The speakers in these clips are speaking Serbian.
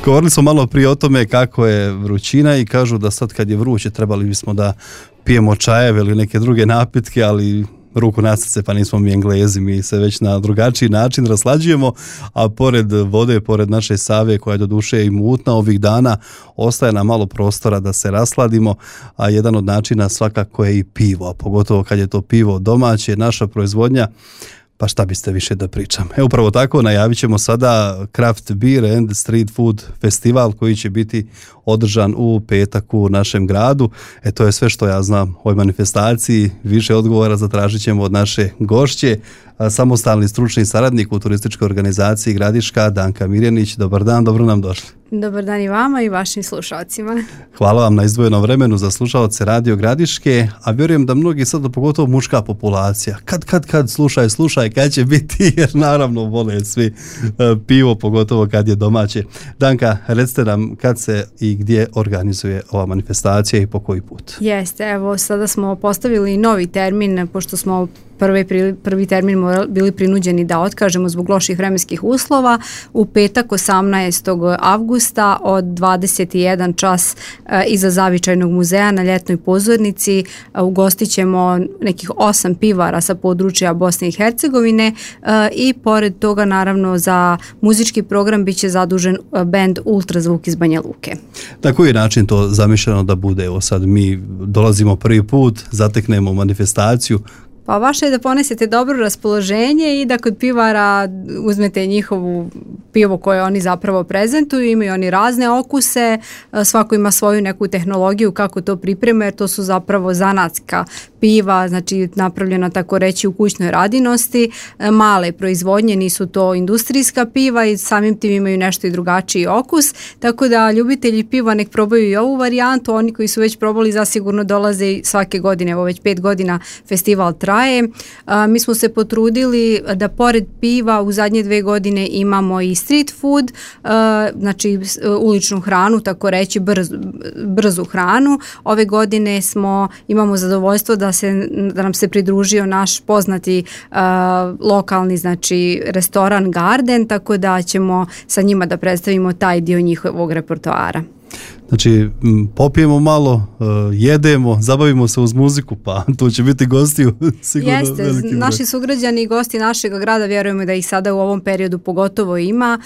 Govorili smo malo prije o tome kako je vrućina i kažu da sad kad je vruće trebali bismo da pijemo čajeve ili neke druge napitke, ali ruku na srce, pa nismo mi Englezi, mi se već na drugačiji način raslađujemo, a pored vode, pored naše Save koja je doduše i mutna ovih dana, ostaje nam malo prostora da se rasladimo, a jedan od načina svakako je i pivo, a pogotovo kad je to pivo domaće, naša proizvodnja, pa šta biste više da pričam. Upravo tako najavit ćemo sada Craft Beer and Street Food festival koji će biti održan u petak u našem gradu. To je sve što ja znam o ovoj manifestaciji. Više odgovora zatražit ćemo od naše gošće, samostalni stručni saradnik u turističkoj organizaciji Gradiška, Danka Mirjanić. Dobar dan, dobro nam došli. Dobar dan i vama i vašim slušalcima. Hvala vam na izdvojenom vremenu za slušalce Radio Gradiške, a vjerujem da mnogi sad, pogotovo muška populacija, kad slušaj, kad će biti, jer naravno vole svi pivo, pogotovo kad je domaće. Danka, recite nam kad se i gdje organizuje ova manifestacija i po koji put? Jeste, evo sada smo postavili novi termin, pošto smo prvi termin bili prinuđeni da otkažemo zbog loših vremenskih uslova. U petak 18. avgusta od 21 čas iza Zavičajnog muzeja na Ljetnoj pozornici ugostit ćemo nekih 8 pivara sa područja Bosne i Hercegovine i pored toga naravno za muzički program bit će zadužen bend Ultrazvuk iz Banja Luke. Na koji način to zamišljeno da bude? Evo sad mi dolazimo prvi put, zateknemo manifestaciju. Pa vaše je da ponesete dobro raspoloženje i da kod pivara uzmete njihovu pivo koje oni zapravo prezentuju, imaju oni razne okuse, svako ima svoju neku tehnologiju kako to pripreme, jer to su zapravo zanatska piva, znači napravljena tako reći u kućnoj radinosti, male proizvodnje, nisu to industrijska piva i samim tim imaju nešto i drugačiji okus, tako da ljubitelji piva nek probaju i ovu varijantu, oni koji su već probali zasigurno dolaze i svake godine, evo već 5 godina festival traje. Mi smo se potrudili da pored piva u zadnje 2 godine imamo i street food, znači uličnu hranu, tako reći brzu hranu. Ove godine imamo zadovoljstvo da nam se pridružio naš poznati lokalni znači restoran Garden, tako da ćemo sa njima da predstavimo taj dio njihovog repertoara. Znači, popijemo malo, jedemo, zabavimo se uz muziku, pa tu će biti gostiju sigurno. Jeste, naši sugrađani i gosti našeg grada, vjerujemo da ih sada u ovom periodu pogotovo ima,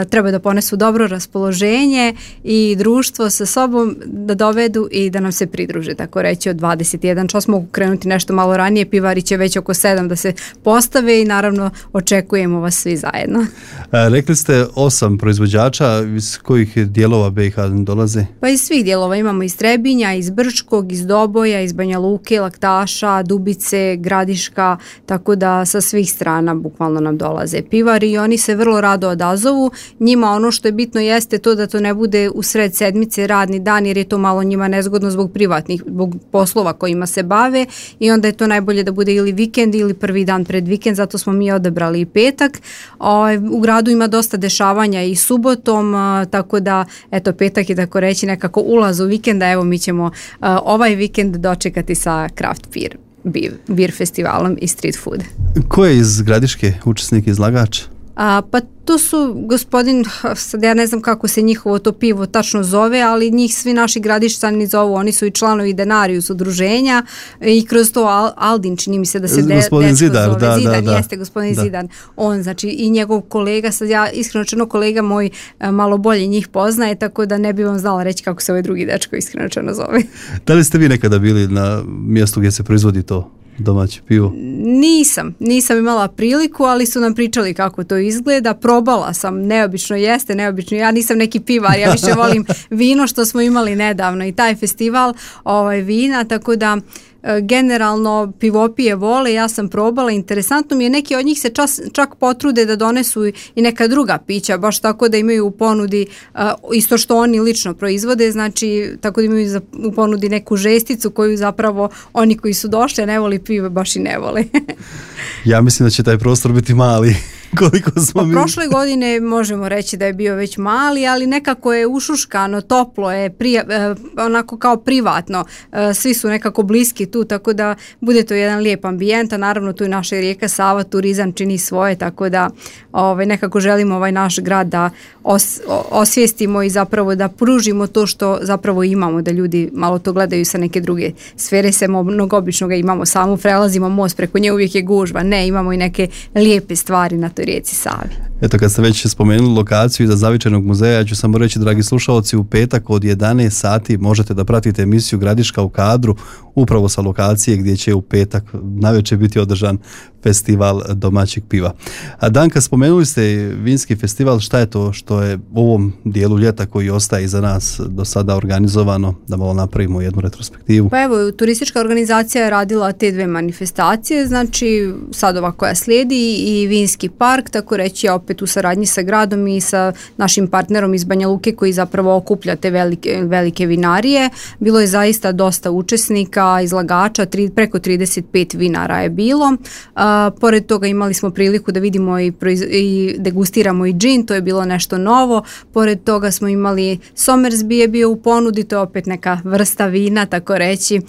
treba da ponesu dobro raspoloženje i društvo sa sobom da dovedu i da nam se pridruže, tako reći od 21 čas mogu krenuti nešto malo ranije, pivari će već oko 7 da se postave i naravno očekujemo vas svi zajedno. Rekli ste 8 proizvođača, iz kojih dijelova BiH dolaze? Pa iz svih dijelova imamo iz Trebinja, iz Brčkog, iz Doboja, iz Banja Luke, Laktaša, Dubice, Gradiška, tako da sa svih strana bukvalno nam dolaze pivari i oni se vrlo rado odazovu. Njima ono što je bitno jeste to da to ne bude u sred sedmice radni dan jer je to malo njima nezgodno zbog poslova kojima se bave i onda je to najbolje da bude ili vikend ili prvi dan pred vikend, zato smo mi odabrali i petak. U gradu ima dosta dešavanja i subotom, tako da eto petak je tako reći nekako ulaz u vikenda, evo mi ćemo ovaj vikend dočekati sa Craft Beer festivalom i street food. Ko je iz Gradiške učesnik izlagač? Pa to su gospodin, sad ja ne znam kako se njihovo to pivo tačno zove, ali njih svi naši Gradišćani zovu, oni su i članovi Denarius udruženja i kroz to Aldin čini mi se da se gospodin Zidar, zove. Zidan, da. Jeste gospodin Zidan, on znači i njegov kolega, sad ja iskreno čeno kolega moj malo bolje njih poznaje, tako da ne bi vam znala reći kako se ovaj drugi dečko iskreno čeno zove. Da li ste vi nekada bili na mjestu gdje se proizvodi to domaće pivo? Nisam imala priliku, ali su nam pričali kako to izgleda. Probala sam, neobično jeste, neobično. Ja nisam neki pivar, ja više volim vino što smo imali nedavno i taj festival vina, tako da generalno pivopije vole, ja sam probala, interesantno mi je, neki od njih se čak potrude da donesu i neka druga pića, baš tako da imaju u ponudi isto što oni lično proizvode, znači tako da imaju u ponudi neku žesticu koju zapravo oni koji su došli, ne voli pivo, baš i ne vole. Ja mislim da će taj prostor biti mali. koliko smo mi... Prošle godine možemo reći da je bio već mali, ali nekako je ušuškano, toplo je, onako kao privatno. Svi su nekako bliski tu, tako da bude to jedan lijep ambijent, a naravno tu je naša rijeka Sava, turizam čini svoje, tako da nekako želimo ovaj naš grad da osvijestimo i zapravo da pružimo to što zapravo imamo, da ljudi malo to gledaju sa neke druge sfere, mnogo obično ga imamo, samo prelazimo most, preko nje uvijek je gužva, ne, imamo i neke lijepe stvari na toj rijeci Savi. Eto, kad ste već spomenuli lokaciju iza Zavičajnog muzeja, ja ću samo reći, dragi slušalci, u petak od 11 sati možete da pratite emisiju Gradiška u kadru, upravo sa lokacije gdje će u petak navečer biti održan festival domaćeg piva. A Danka, spomenuli ste vinski festival, šta je to što je u ovom dijelu ljeta koji ostaje iza nas do sada organizovano, da malo napravimo jednu retrospektivu? Pa evo, turistička organizacija je radila te dve manifestacije, znači sad ova koja slijedi i vinski park, tako reći, opet u saradnji sa gradom i sa našim partnerom iz Banja Luke koji zapravo okuplja te velike vinarije. Bilo je zaista dosta učesnika, izlagača, preko 35 vinara je bilo. Pored toga imali smo priliku da vidimo i degustiramo i džin, to je bilo nešto novo. Pored toga smo imali Somersby je bio u ponudi, to je opet neka vrsta vina, tako reći,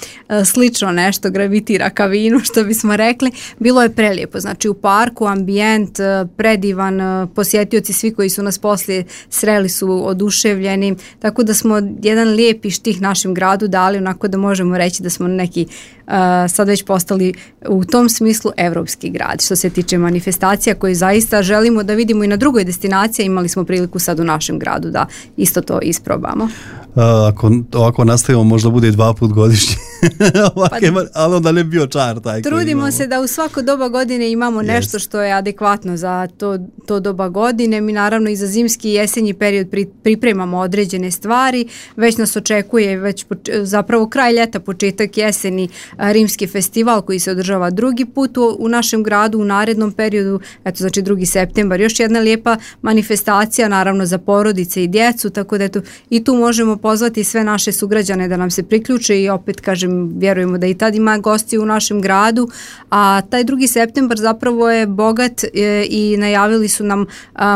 slično nešto, gravitira ka vinu, što bismo rekli. Bilo je prelijepo, znači u parku, ambijent, predivan, posjetioci svi koji su nas poslije sreli su oduševljeni, tako da smo jedan lijepi štih našem gradu dali, onako da možemo reći da smo neki sad već postali u tom smislu evropski grad. Što se tiče manifestacija koje zaista želimo da vidimo i na drugoj destinaciji, imali smo priliku sad u našem gradu da isto to isprobamo. Ako ovako nastavimo, možda bude i 2 puta godišnje, ali onda ne bio čar taj. Trudimo se da u svako doba godine imamo nešto što je adekvatno za to doba godine. Mi naravno i za zimski i jesenji period pripremamo određene stvari. Već nas očekuje zapravo kraj ljeta, početak jeseni, Rimski festival koji se održava drugi put u našem gradu u narednom periodu, eto znači 2. septembar. Još jedna lijepa manifestacija naravno za porodice i djecu, tako da eto i tu možemo pozvati sve naše sugrađane da nam se priključe i opet kažem, vjerujemo da i tad ima gosti u našem gradu, a taj 2. septembar zapravo je bogat i najavili su nam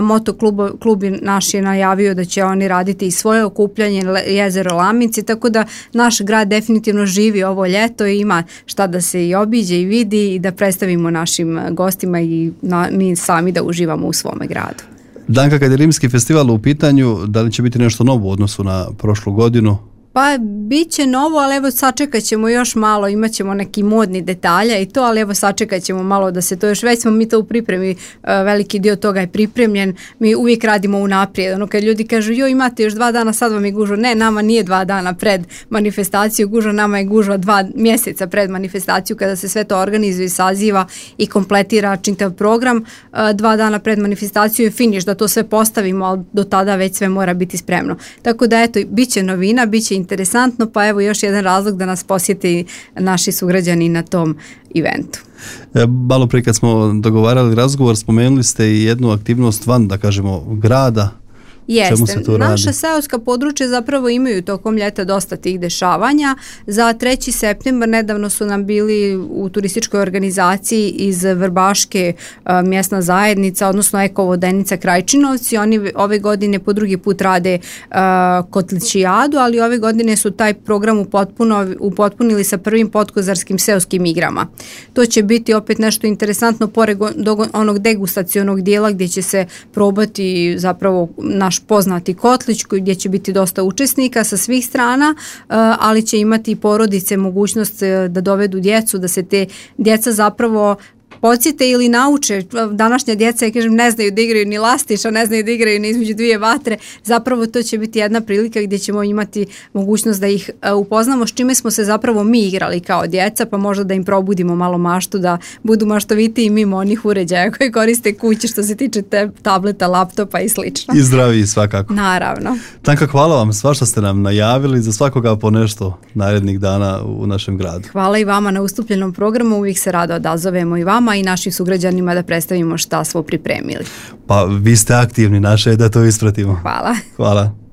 motoklub naš je najavio da će oni raditi i svoje okupljanje jezero Laminci, tako da naš grad definitivno živi ovo ljeto i ima šta da se i obiđe i vidi i da predstavimo našim gostima i mi sami da uživamo u svome gradu. Danka, kad je Rimski festival u pitanju, da li će biti nešto novo u odnosu na prošlu godinu? Pa bit će novo, ali evo sačekat ćemo još malo, imat ćemo neki modni detalja i to, ali evo sačekat ćemo malo da se to još, već smo mi to u pripremi, veliki dio toga je pripremljen, mi uvijek radimo unaprijed, ono kad ljudi kažu joj imate još 2 dana, sad vam je gužva, ne, nama nije 2 dana pred manifestaciju gužva, nama je gužva 2 mjeseca pred manifestaciju kada se sve to organizuje i saziva i kompletira čitav program, 2 dana pred manifestaciju je finiš da to sve postavimo, ali do tada već sve mora biti spremno. Tako da eto, bit će novina, bit će interesantno, pa evo još jedan razlog da nas posjeti naši sugrađani na tom eventu. Malo prije kad smo dogovarali razgovor, spomenuli ste i jednu aktivnost van, da kažemo, grada. Jeste, naša seoska područja zapravo imaju tokom ljeta dosta tih dešavanja. Za 3. septembar nedavno su nam bili u turističkoj organizaciji iz Vrbaške mjesna zajednica, odnosno Eko-Vodenica Krajčinovci. Oni ove godine po drugi put rade kotličijadu, ali ove godine su taj program upotpunili sa prvim podkozarskim seoskim igrama. To će biti opet nešto interesantno pored onog degustacionog dijela gdje će se probati zapravo naš poznati kotlić gdje će biti dosta učesnika sa svih strana, ali će imati i porodice mogućnost da dovedu djecu, da se te djeca zapravo podsjete ili nauče. Današnja djeca, ja kažem, ne znaju da igraju ni lastiša, ne znaju da igraju ni između 2 vatre. Zapravo to će biti jedna prilika gdje ćemo imati mogućnost da ih upoznamo s čime smo se zapravo mi igrali kao djeca, pa možda da im probudimo malo maštu, da budu maštoviti i mimo onih uređaja koji koriste kući što se tiče tableta, laptopa i slično. I zdravi svakako. Naravno. Tanka, hvala vam svašta ste nam najavili, za svakoga po nešto narednih dana u našem gradu. Hvala i vama na ustupljenom programu, uvijek se rado odazovemo i vama i našim sugrađanima da predstavimo šta smo pripremili. Pa vi ste aktivni, naše je da to ispratimo. Hvala. Hvala.